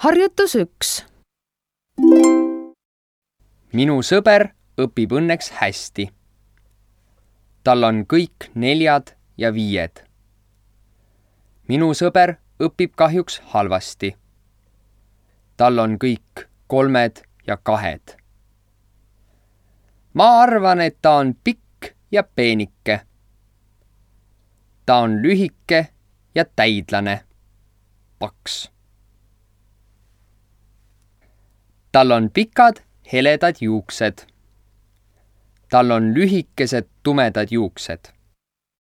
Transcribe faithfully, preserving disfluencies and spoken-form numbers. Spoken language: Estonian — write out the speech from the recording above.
Harjutus üks. Minu sõber õpib õnneks hästi. Tal on kõik neljad ja viied. Minu sõber õpib kahjuks halvasti. Tal on kõik kolmed ja kahed. Ma arvan, et ta on pikk ja peenike. Ta on lühike ja täidlane. Paks. Tal on pikad, heledad juuksed. Tal on lühikesed, tumedad juuksed.